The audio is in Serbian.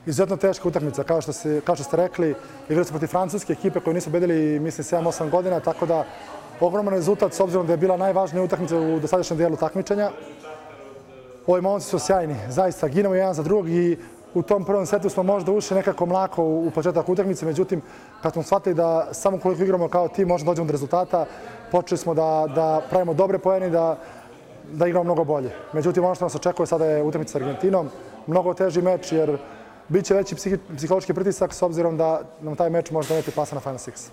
Izuzetno teška utakmica, kao što ste rekli, igrali su protiv francuske ekipe koju nisu pobedili, mislim, 7-8 godina, tako da ogroman rezultat s obzirom da je bila najvažnija utakmica u dosadašnjem dijelu takmičenja. Ovi momci su sjajni, zaista ginemo jedan za drugog i u tom prvom setu smo možda ušli nekako mlako u početak utakmice, međutim, kad smo shvatili da samo koliko igramo kao tim možemo dođemo do rezultata, počeli smo da pravimo dobre poene i da igramo mnogo bolje. Međutim, ono što nas očekuje sada je utakmica s Argentinom, mnogo teži meč jer biće veći psihološki pritisak s obzirom da nam taj meč može doneti plasa na Final Six.